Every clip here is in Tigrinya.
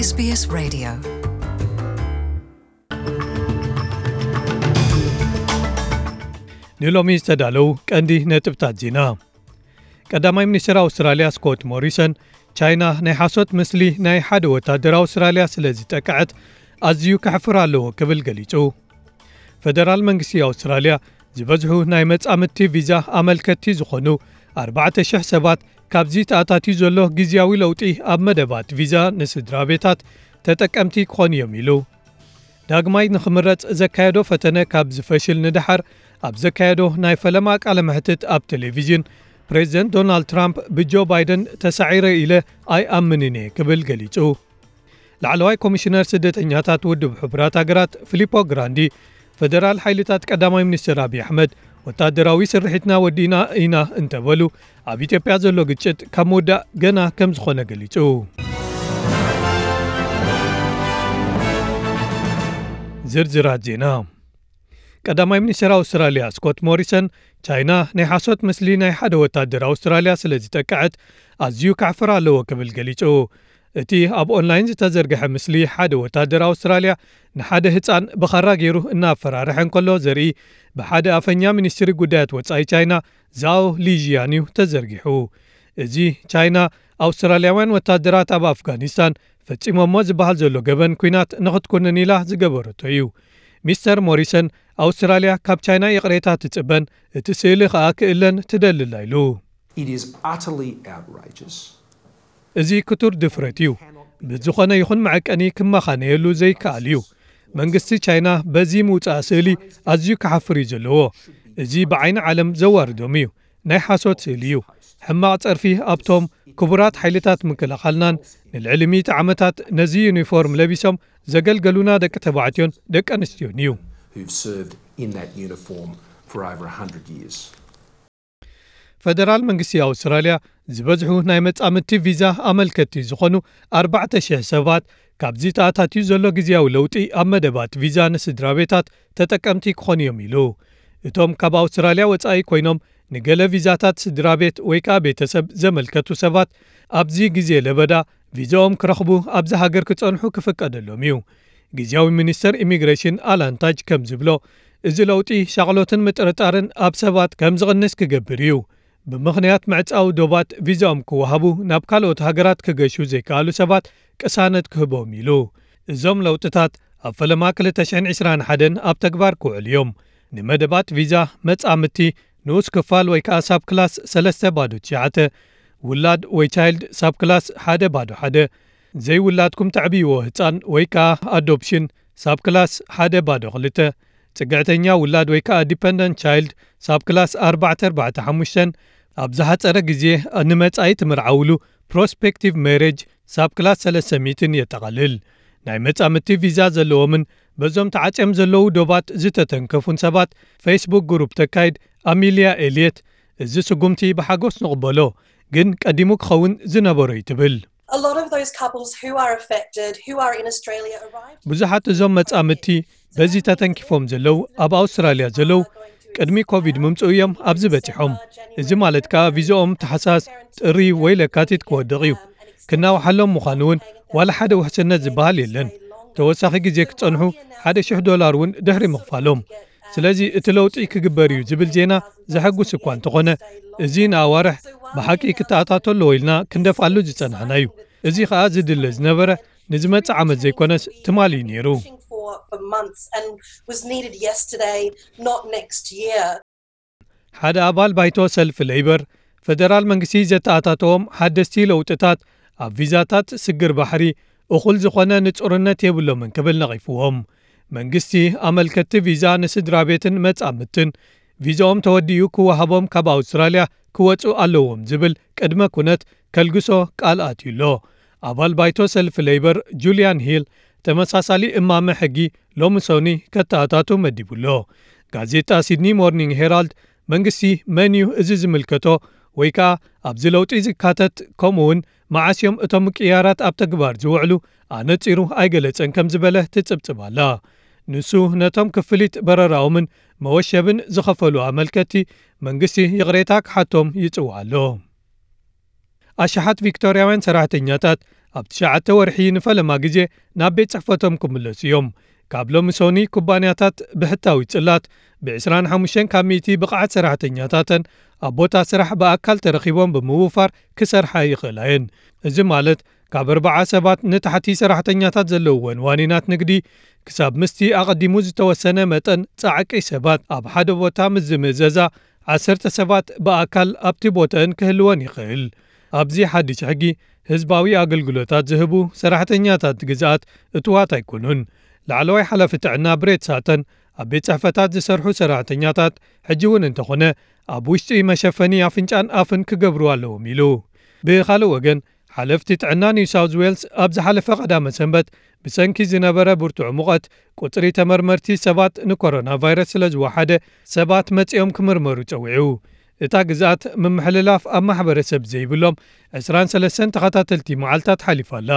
SBS Radio. ንሎሚ ዝተዳለዉ ቀንዲ ነጥብታት ዜና። ቀዳማይ ሚኒስትር ኣውስትራልያ ስኮት ሞሪሰን፣ ቻይና ናይ ሓሶት ምስሊ ናይ ሓደ ወታደር ኣውስትራልያ ስለ ዝጠቅዐት ኣዝዩ ከሕፍር ኣለዎ ክብል ገሊጹ። ፈደራል መንግስቲ ኣውስትራልያ ዝበዝሑ ናይ መጻምድቲ ቪዛ ኣመልከትቲ ዝኾኑ ኣርባዕተ ሽሕ ሰባት ካብዚ ተኣታትዩ ዘሎ ግዝያዊ ለውጢ ኣብ መደባት ቪዛ ንስድራ ቤታት ተጠቀምቲ ክኾኑ እዮም ኢሉ። ዳግማይ ንኽምረጽ ዘካየዶ ፈተነ ካብ ዝፈሽል ንደሓር ኣብ ዘካየዶ ናይ ፈለማ ቃለ መሕትት ኣብ ቴሌቪዥን፣ ፕሬዚደንት ዶናልድ ትራምፕ ብጆ ባይደን ተሳዒረ ኢለ ኣይኣምንን እየ ክብል ገሊጹ። ላዕለዋይ ኮሚሽነር ስደተኛታት ውድብ ሕቡራት ሃገራት ፊሊፖ ግራንዲ፣ ፈደራል ሓይልታት ቀዳማይ ሚኒስትር ኣብይ ኣሕመድ ወታደራዊ ስርሒትና ወዲእና ኢና እንተበሉ፣ ኣብ ኢትዮጵያ ዘሎ ግጭት ካብ ምውዳእ ገና ከም ዝኾነ ገሊጹ። ዝርዝራት ዜና። ቀዳማይ ሚኒስትር ኣውስትራልያ ስኮት ሞሪሰን፣ ቻይና ናይ ሓሶት ምስሊ ናይ ሓደ ወታደር ኣውስትራልያ ስለ ዝጠቅዐት ኣዝዩ ከሕፍር ኣለዎ ክብል ገሊጹ። እቲ ኣብ ኦንላይን ዝተዘርግሐ ምስሊ ሓደ ወታደር ኣውስትራልያ ንሓደ ህጻን ብኻራ ገይሩ እናፈራርሐ እንከሎ ዘርኢ ብሓደ ኣፈኛ ሚኒስትሪ ጉዳያት ወጻኢ ቻይና ዛኦ ሊዥያን እዩ ተዘርጊሑ። እዚ ቻይና ኣውስትራልያውያን ወታደራት ኣብ ኣፍጋኒስታን ፈጺሞሞ ዝበሃል ዘሎ ገበን ኲናት ንኽትኩንን ኢላ ዝገበረቶ እዩ። ሚስተር ሞሪሰን፣ ኣውስትራልያ ካብ ቻይና ይቕሬታ ትጽበን እቲ ስእሊ ኸኣ ክእለን ትደልላ ኢሉ። It is utterly outrageous. እዚ ክቱር ድፍረት እዩ። ብዝኾነ ይኹን መዐቀኒ ክመኻነየሉ ዘይከኣል እዩ። መንግስቲ ቻይና በዚ ምውጻእ ስእሊ ኣዝዩ ክሓፍር እዩ ዘለዎ። እዚ ብዓይኒ ዓለም ዘዋርዶም እዩ። ናይ ሓሶት ስእሊ እዩ። ሕማቕ ጸርፊ ኣብቶም ክቡራት ሓይልታት ምክልኻልናን ንልዕሊ ሚእቲ ዓመታት ነዚ ዩኒፎርም ለቢሶም ዘገልገሉና ደቂ ተባዕትዮን ደቂ ኣንስትዮን እዩ። Who've served in that uniform for over a hundred years. ፈደራል መንግስቲ ኣውስትራልያ ዝበዝሑ ናይ መጻምድቲ ቪዛ ኣመልከትቲ ዝኾኑ ኣርባዕተ ሽሕ ሰባት ካብዚ ተኣታትዩ ዘሎ ግዝያዊ ለውጢ ኣብ መደባት ቪዛ ንስድራ ቤታት ተጠቀምቲ ክኾኑ እዮም ኢሉ። እቶም ካብ ኣውስትራልያ ወጻኢ ኮይኖም ንገለ ቪዛታት ስድራ ቤት ወይ ከኣ ቤተሰብ ዘመልከቱ ሰባት ኣብዚ ግዜ ለበዳ ቪዛኦም ክረኽቡ ኣብዚ ሃገር ክጸንሑ ክፍቀደሎም እዩ። ግዝያዊ ሚኒስተር ኢሚግሬሽን ኣላን ታጅ ከም ዝብሎ፣ እዚ ለውጢ ሻቕሎትን ምጥርጣርን ኣብ ሰባት ከም ዝቕንስ ክገብር እዩ። ብምኽንያት ምዕጻው ዶባት ቪዛኦም ክወሃቡ ናብ ካልኦት ሃገራት ክገሹ ዘይከኣሉ ሰባት ቅሳነት ክህቦም ኢሉ። እዞም ለውጥታት ኣብ ፈለማ ክልተ ሽሕን ዕስራን ሓደን ኣብ ተግባር ክውዕሉ እዮም። ንመደባት ቪዛ መጻምድቲ ንኡስ ክፋል ወይ ከኣ ሳብ ክላስ ሰለስተ ባዶ ትሽዓተ፣ ውላድ ወይ ቻይልድ ሳብ ክላስ ሓደ ባዶ ሓደ፣ ዘይውላድኩም ተዕብይዎ ህጻን ወይ ከኣ ኣዶፕሽን ሳብ ክላስ ሓደ ባዶ ክልተ፣ ጽግዕተኛ ውላድ ወይ ከኣ ዲፐንደንት ቻይልድ ሳብ ክላስ ኣርባዕተ ኣርባዕተ ሓሙሽተን ኣብ ዝሓጸረ ግዜ ንመጻኢ ትምርዓውሉ ፕሮስፔክቲቭ ሜሬጅ ሳብ ክላስ ሰለስተ ሚእትን የጠቓልል። ናይ መጻምድቲ ቪዛ ዘለዎምን በዞም ተዓጽዮም ዘለዉ ዶባት ዝተተንከፉን ሰባት ፌስቡክ ግሩፕ ተካይድ ኣሚልያ ኤልየት፣ እዚ ስጉምቲ ብሓጎስ ንቕበሎ፣ ግን ቀዲሙ ክኸውን ዝነበሮ እዩ ትብል። A lot of those couples who are affected, who are in Australia, arrived. ብዙሓት እዞም መጻምድቲ በዚ ተተንኪፎም ዘለዉ ኣብ ኣውስትራልያ ዘለዉ ቅድሚ ኮቪድ ምምጽኡ እዮም ኣብዚ በጺሖም። እዚ ማለት ከኣ ቪዛኦም ታሕሳስ፣ ጥሪ ወይ ለካቲት ክወድቕ እዩ። ክናውሓሎም ምዃኑ እውን ዋላ ሓደ ውሕስነት ዝበሃል የለን። ተወሳኺ ግዜ ክጸንሑ ሓደ ሽሕ ዶላር እውን ድሕሪ ምኽፋሎም። ስለዚ እቲ ለውጢ ክግበር እዩ ዝብል ዜና ዘሐጉስ እኳ እንተኾነ፣ እዚ ንኣዋርሕ ብሓቂ ክተኣታቶ ኣለዎ ኢልና ክንደፍኣሉ ዝጸናሕና እዩ። እዚ ኸኣ ዝድለ ዝነበረ ንዝመጽእ ዓመት ዘይኮነስ ትማሊ እዩ ነይሩ። Pushing for for months and was needed yesterday, not next year. ሓደ ኣባል ባይቶ ሰልፊ ሌይበር፣ ፈደራል መንግስቲ ዘተኣታተዎም ሓደስቲ ለውጥታት ኣብ ቪዛታት ስግር ባሕሪ እኹል ዝኾነ ንጹርነት የብሎምን ክብል ነቒፍዎም። መንግስቲ ኣመልከትቲ ቪዛ ንስድራ ቤትን መጻምድትን ቪዛኦም ተወዲኡ ክወሃቦም ካብ ኣውስትራልያ ክወጹ ኣለዎም ዝብል ቅድመ ኩነት ከልግሶ ቃል ኣትዩ ኣሎ። ኣባል ባይቶ ሰልፊ ሌይበር ጁልያን ሂል ተመሳሳሊ እማመ ሕጊ ሎሚ ሰኒ ከተኣታቱ መዲቡ ኣሎ። ጋዜጣ ሲድኒ ሞርኒንግ ሄራልድ መንግስቲ መን እዩ እዚ ዝምልከቶ ወይ ከኣ ኣብዚ ለውጢ ዝካተት ከምኡ እውን መዓስ እዮም እቶም ምቅያራት ኣብ ተግባር ዝውዕሉ ኣነጺሩ ኣይገለጸን ከም ዝበለ ትጽብጽብ ኣላ። ንሱ ነቶም ክፍሊት በረራኦምን መወሸብን ዝኸፈሉ ኣመልከቲ መንግስቲ ይቕሬታ ክሓቶም ይጽውዕ ኣሎ። ኣሽሓት ቪክቶርያውያን ሰራሕተኛታት ኣብ ትሽዓተ ወርሒ ንፈለማ ግዜ ናብ ቤት ጽሕፈቶም ክምለሱ እዮም። ካብ ሎሚ ሶኒ ኩባንያታት ብሕታዊ ጽላት ብ ዕስራን ሓሙሽተን ካብ ሚእቲ ብቕዓት ሰራሕተኛታተን ኣብ ቦታ ስራሕ ብኣካል ተረኺቦም ብምውፋር ክሰርሓ ይኽእላ እየን። እዚ ማለት ካብ ኣርባዓ ሰባት ንታሕቲ ሰራሕተኛታት ዘለውወን ዋኒናት ንግዲ ክሳብ ምስቲ ኣቐዲሙ ዝተወሰነ መጠን ጻዕቂ ሰባት ኣብ ሓደ ቦታ ምስ ዝምእዘዛ ዓሰርተ ሰባት ብኣካል ኣብቲ ቦታን ክህልወን ይኽእል። ኣብዚ ሓድሽ ሕጊ ህዝባዊ ኣገልግሎታት ዝህቡ ሰራሕተኛታት ግዝኣት እትዋት ኣይኮኑን። ላዕለዋይ ሓላፊ ጥዕና ብሬት ሳተን ኣብ ቤት ጽሕፈታት ዝሰርሑ ሰራሕተኛታት ሕጂ እውን እንተኾነ ኣብ ውሽጢ መሸፈኒ ኣፍንጫን ኣፍን ክገብሩ ኣለዎም ኢሉ። ብኻልእ ወገን ሓለፍቲ ጥዕና ኒው ሳውዝ ዌልስ ኣብ ዝሓለፈ ቀዳመ ሰንበት ብሰንኪ ዝነበረ ብርቱዕ ሙቐት ቁጽሪ ተመርመርቲ ሰባት ንኮሮና ቫይረስ ስለ ዝወሓደ ሰባት መጺኦም ክምርመሩ ጸዊዑ። እታ ግዝኣት ምምሕልላፍ ኣብ ማሕበረሰብ ዘይብሎም ዕስራን ሰለስተን ተኸታተልቲ መዓልታት ሓሊፋ ኣላ።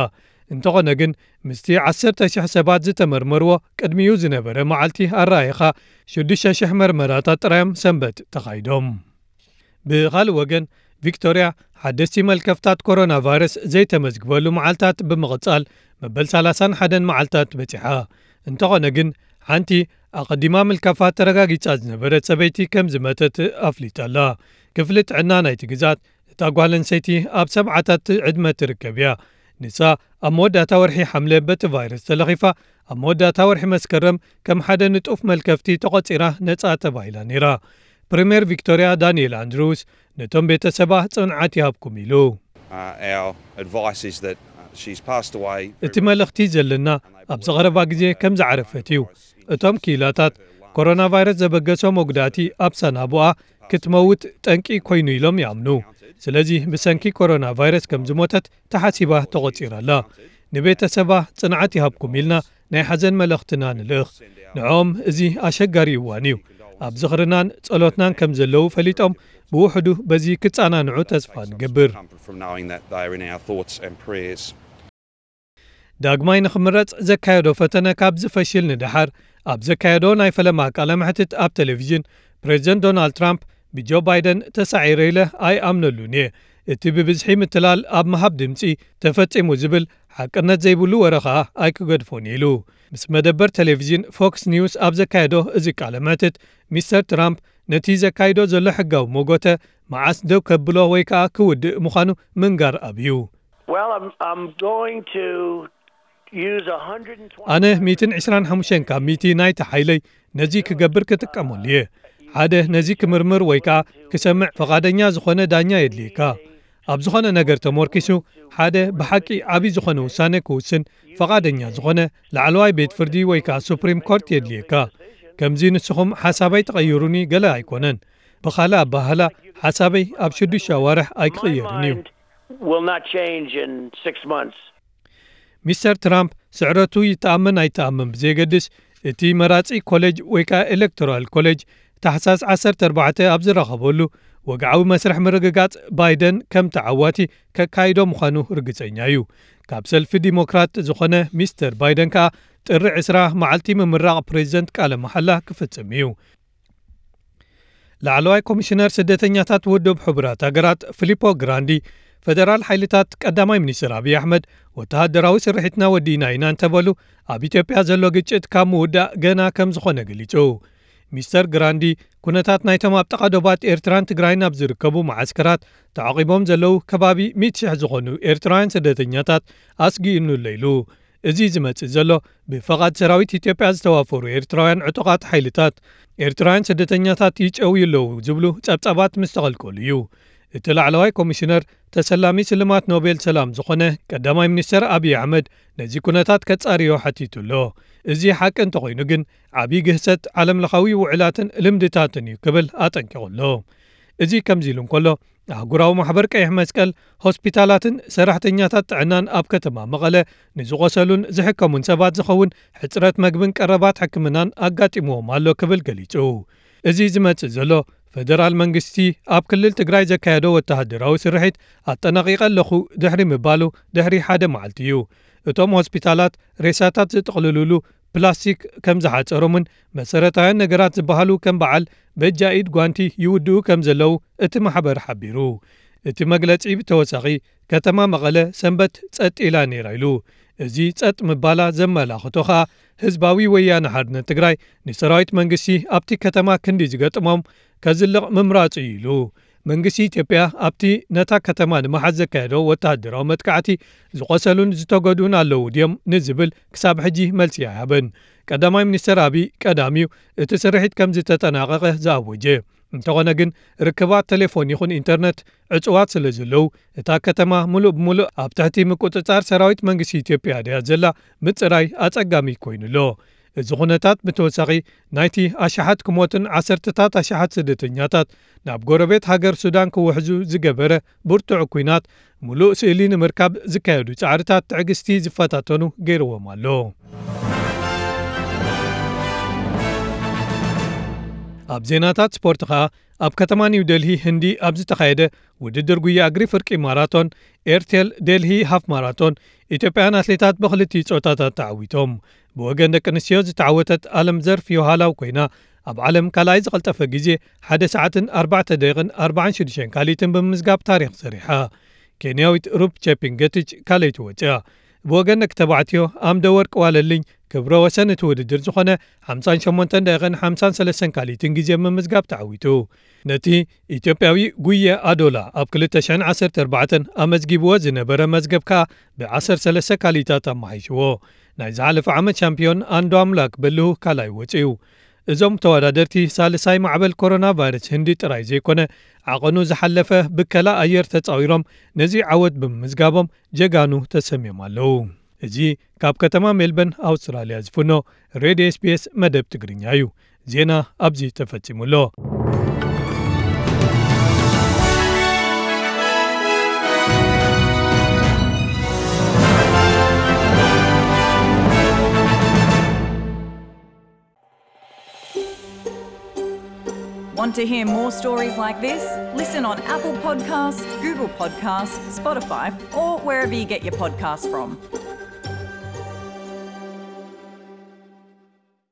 እንተኾነ ግን ምስቲ ዓሰርተ ሽሕ ሰባት ዝተመርመርዎ ቅድሚኡ ዝነበረ መዓልቲ ኣረኣይኻ ሽዱሽተ ሽሕ መርመራታት ጥራዮም ሰንበት ተኻይዶም። ብኻልእ ወገን ቪክቶርያ ሓደስቲ መልከፍታት ኮሮና ቫይረስ ዘይተመዝግበሉ መዓልታት ብምቕጻል መበል ሰላሳን ሓደን መዓልታት በጺሓ። እንተኾነ ግን ሓንቲ ኣቐዲማ ምልካፋ ተረጋጊጻ ዝነበረት ሰበይቲ ከም ዝመተት ኣፍሊጣ ኣላ። ክፍሊ ጥዕና ናይቲ ግዛት እታ ጓል ኣንሰይቲ ኣብ ሰብዓታት ዕድመ ትርከብ እያ። ንሳ ኣብ መወዳእታ ወርሒ ሓምለ በቲ ቫይረስ ተለኺፋ ኣብ መወዳእታ ወርሒ መስከረም ከም ሓደ ንጡፍ መልከፍቲ ተቖጺራ ነጻ ተባሂላ ነይራ። ፕሪምየር ቪክቶርያ ዳንኤል ኣንድሩስ ነቶም ቤተሰባ ጽንዓት ይሃብኩም ኢሉ። Uh, our advice is that uh, she's passed away. እቲ መልእኽቲ ዘለና ኣብዚ ቐረባ ግዜ ከም ዝዓረፈት እዩ። እቶም ክኢላታት ኮሮና ቫይረስ ዘበገሶ መጉዳእቲ ኣብ ሳናቡኣ ክትመውት ጠንቂ ኮይኑ ኢሎም ይኣምኑ። ስለዚ ብሰንኪ ኮሮና ቫይረስ ከም ዝሞተት ተሓሲባ ተቖጺራ ኣላ። ንቤተሰባ ጽንዓት ይሃብኩም ኢልና ናይ ሓዘን መልእኽትና ንልእኽ። ንዕኦም እዚ ኣሸጋሪ እዋን እዩ። ኣብ ዝኽርናን ጸሎትናን ከም ዘለዉ ፈሊጦም ብውሕዱ በዚ ክጸናንዑ ተስፋ ንገብር። From knowing that they are in our thoughts and prayers. ዳግማይ ንኽምረጽ ዘካየዶ ፈተነ ካብ ዝፈሽል ንደሓር ኣብ ዘካየዶ ናይ ፈለማ ቃለ መሕትት ኣብ ቴሌቪዥን ፕሬዚደንት ዶናልድ ትራምፕ ብጆ ባይደን ተሳዒረ ኢለ ኣይኣምነሉን እየ። እቲ ብብዝሒ ምትላል ኣብ ምሃብ ድምጺ ተፈጺሙ ዝብል ሓቅነት ዘይብሉ ወረ ኸኣ ኣይክገድፎን ኢሉ። ምስ መደበር ቴሌቪዥን ፎክስ ኒውስ ኣብ ዘካየዶ እዚ ቃለ መሕትት ሚስተር ትራምፕ ነቲ ዘካይዶ ዘሎ ሕጋዊ መጎተ መዓስ ደው ከብሎ ወይ ከኣ ክውድእ ምዃኑ ምንጋር ኣብዩ። Well, I'm, I'm going to use one hundred twenty. ኣነ ሚእትን ዕስራን ሓሙሽተን ካብ ሚእቲ ናይቲ ሓይለይ ነዚ ክገብር ክጥቀመሉ እየ። ሓደ ነዚ ክምርምር ወይ ከኣ ክሰምዕ ፈቓደኛ ዝኾነ ዳኛ የድልየካ። ኣብ ዝኾነ ነገር ተሞርኪሱ ሓደ ብሓቂ ዓቢ ዝኾነ ውሳነ ክውስን ፈቓደኛ ዝኾነ ላዕለዋይ ቤት ፍርዲ ወይ ከኣ ሱፕሪም ኮርት የድልየካ። ከምዚ ንስኹም ሓሳበይ ተቐይሩኒ ገለ ኣይኮነን። ብኻልእ ኣባህላ ሓሳበይ ኣብ ሽዱሽተ ኣዋርሕ ኣይክቕየርን እዩ። Will not change in six months. ሚስተር ትራምፕ ስዕረቱ ይተኣመን ኣይተኣመን ብዘየገድስ እቲ መራጺ ኮሌጅ ወይ ከኣ ኤሌክቶራል ኮሌጅ ታሕሳስ ዓሰርተ ኣርባዕተ ኣብ ዝረኸበሉ ወግዓዊ መስርሕ ምርግጋጽ ባይደን ከም ተዓዋቲ ከካይዶ ምዃኑ ርግጸኛ እዩ። ካብ ሰልፊ ዲሞክራት ዝኾነ ሚስተር ባይደን ከኣ ጥሪ ዕስራ መዓልቲ ምምራቕ ፕሬዚደንት ቃለ መሓላ ክፍጽም እዩ። ላዕለዋይ ኮሚሽነር ስደተኛታት ውድብ ሕቡራት ሃገራት ፊሊፖ ግራንዲ ፈደራል ሓይልታት ቀዳማይ ሚኒስትር ኣብይ ኣሕመድ ወተሃደራዊ ስርሒትና ወዲእና ኢና እንተበሉ ኣብ ኢትዮጵያ ዘሎ ግጭት ካብ ምውዳእ ገና ከም ዝኾነ ገሊጹ። ሚስተር ግራንዲ ኩነታት ናይቶም ኣብ ጥቓ ዶባት ኤርትራን ትግራይን ኣብ ዝርከቡ መዓስከራት ተዓቒቦም ዘለዉ ከባቢ ሚእቲ ሽሕ ዝኾኑ ኤርትራውያን ስደተኛታት ኣስጊእኑሎ ኢሉ። እዚ ዝመጽእ ዘሎ ብፈቓድ ሰራዊት ኢትዮጵያ ዝተዋፈሩ ኤርትራውያን ዕጡቓት ሓይልታት ኤርትራውያን ስደተኛታት ይጨውዩ ኣለዉ ዝብሉ ጸብጻባት ምስ ተቐልቀሉ እዩ። እቲ ላዕለዋይ ኮሚሽነር ተሰላሚ ስልማት ኖቤል ሰላም ዝኾነ ቀዳማይ ሚኒስተር ኣብይ ኣሕመድ ነዚ ኩነታት ከጻርዮ ሓቲቱ ኣሎ። እዚ ሓቂ እንተኾይኑ ግን ዓብዪ ግህሰት ዓለምለኻዊ ውዕላትን ልምድታትን እዩ ክብል ኣጠንቂቑ ኣሎ። እዚ ከምዚ ኢሉ እንከሎ ኣህጉራዊ ማሕበር ቀይሕ መስቀል ሆስፒታላትን ሰራሕተኛታት ጥዕናን ኣብ ከተማ መቐለ ንዝቖሰሉን ዝሕከሙን ሰባት ዝኸውን ሕጽረት መግብን ቀረባት ሕክምናን ኣጋጢምዎም ኣሎ ክብል ገሊጹ። እዚ ዝመጽእ ዘሎ ፈደራል መንግስቲ ኣብ ክልል ትግራይ ዘካየዶ ወተሃደራዊ ስርሒት ኣጠናቒቐ ኣለኹ ድሕሪ ምባሉ ድሕሪ ሓደ መዓልቲ እዩ። እቶም ሆስፒታላት ሬሳታት ዝጥቕልሉሉ ፕላስቲክ ከም ዝሓጸሮምን መሰረታውያን ነገራት ዝበሃሉ ከም በዓል በጃ ኢድ ጓንቲ ይውድኡ ከም ዘለዉ እቲ ማሕበር ሓቢሩ። እቲ መግለጺ ብተወሳኺ፣ ከተማ መቐለ ሰንበት ጸጥ ኢላ ነይራ ኢሉ። እዚ ጸጥ ምባላ ዘመላኽቶ ኸኣ፣ ህዝባዊ ወያነ ሓርነት ትግራይ ንሰራዊት መንግስቲ ኣብቲ ከተማ ክንዲ ዝገጥሞም ከዝልቕ ምምራጹ እዩ ኢሉ። መንግስቲ ኢትዮጵያ ኣብቲ ነታ ከተማ ንምሓዝ ዘካየዶ ወተሃደራዊ መጥቃዕቲ ዝቖሰሉን ዝተጎድኡን ኣለዉ ድዮም ንዝብል ክሳብ ሕጂ መልሲ ኣይሃበን። ቀዳማይ ሚኒስተር ኣቢይ ቀዳሚዩ እቲ ስርሒት ከም ዝተጠናቐቐ ዝኣወጀ። እንተኾነ ግን፣ ርክባት ቴሌፎን ይኹን ኢንተርነት ዕጹዋት ስለ ዘለዉ፣ እታ ከተማ ምሉእ ብምሉእ ኣብ ትሕቲ ምቁጽጻር ሰራዊት መንግስቲ ኢትዮጵያ ድያ ዘላ ምጽራይ ኣጸጋሚ ኮይኑ ኣሎ። እዚ ኩነታት ብተወሳኺ፣ ናይቲ ኣሽሓት ክሞትን ዓሰርተታት ኣሽሓት ስደተኛታት ናብ ጎረቤት ሃገር ሱዳን ክውሕዙ ዝገበረ ብርቱዕ ኲናት፣ ምሉእ ስእሊ ንምርካብ ዝካየዱ ጻዕርታት ትዕግስቲ ዝፈታተኑ ገይርዎም ኣሎ። ኣብ ዜናታት ስፖርት ኸኣ፣ ኣብ ከተማ ኒው ደልሂ ህንዲ ኣብ ዝተኻየደ ውድድር ጉያ እግሪ ፍርቂ ማራቶን፣ ኤርቴል ደልሂ ሃፍ ማራቶን፣ ኢትዮጵያውያን ኣትሌታት ብኽልቲኡ ጾታታት ተዓዊቶም። ብወገን ደቂ ኣንስትዮ ዝተዓወተት ኣለም ዘርፍ ዮሃላው ኮይና፣ ኣብ ዓለም ካልኣይ ዝቐልጠፈ ግዜ ሓደ ሰዓትን ኣርባዕተ ደቂቕን ኣርባዓን ሽዱሽተን ካሊትን ብምምዝጋብ ታሪኽ ሰሪሓ። ኬንያዊት ሩፕ ቼፒንገቲች ካልኣይቲ ወፂኣ። ብወገን ደቂ ተባዕትዮ፣ ኣምደ ወርቅ ዋለልኝ ክብረ ወሰን እቲ ውድድር ዝኾነ ሓምሳን ሸሞንተን ደቂቕን ሓምሳን ሰለስተን ካሊትን ግዜ ብምምዝጋብ ተዓዊቱ። ነቲ ኢትዮጵያዊ ጉየ ኣዶላ ኣብ ክልተ ሽሕን ዓሰርተ ኣርባዕተን ኣመዝጊብዎ ዝነበረ መዝገብ ከኣ ብዓሰርተ ሰለስተ ካሊታት ኣመሓይሽዎ። ናይ ዝሓለፈ ዓመት ሻምፒዮን ኣንዶ ኣምላክ በልሁ ካልኣይ ወፂኡ። እዞም ተወዳደርቲ ሳልሳይ ማዕበል ኮሮና ቫይረስ ህንዲ ጥራይ ዘይኮነ፣ ዓቐኑ ዝሓለፈ ብከላ ኣየር ተጻዊሮም ነዚ ዓወት ብምምዝጋቦም ጀጋኑ ተሰምዮም ኣለዉ። እዚ ካብ ከተማ ሜልበርን ኣውስትራልያ ዝፍኖ ሬድዮ ኤስቢኤስ መደብ ትግርኛ እዩ። ዜና ኣብዚ ተፈጺሙ ኣሎ። Want to hear more stories like this? Listen on Apple Podcasts, Google Podcasts, Spotify, or wherever you get your podcasts from.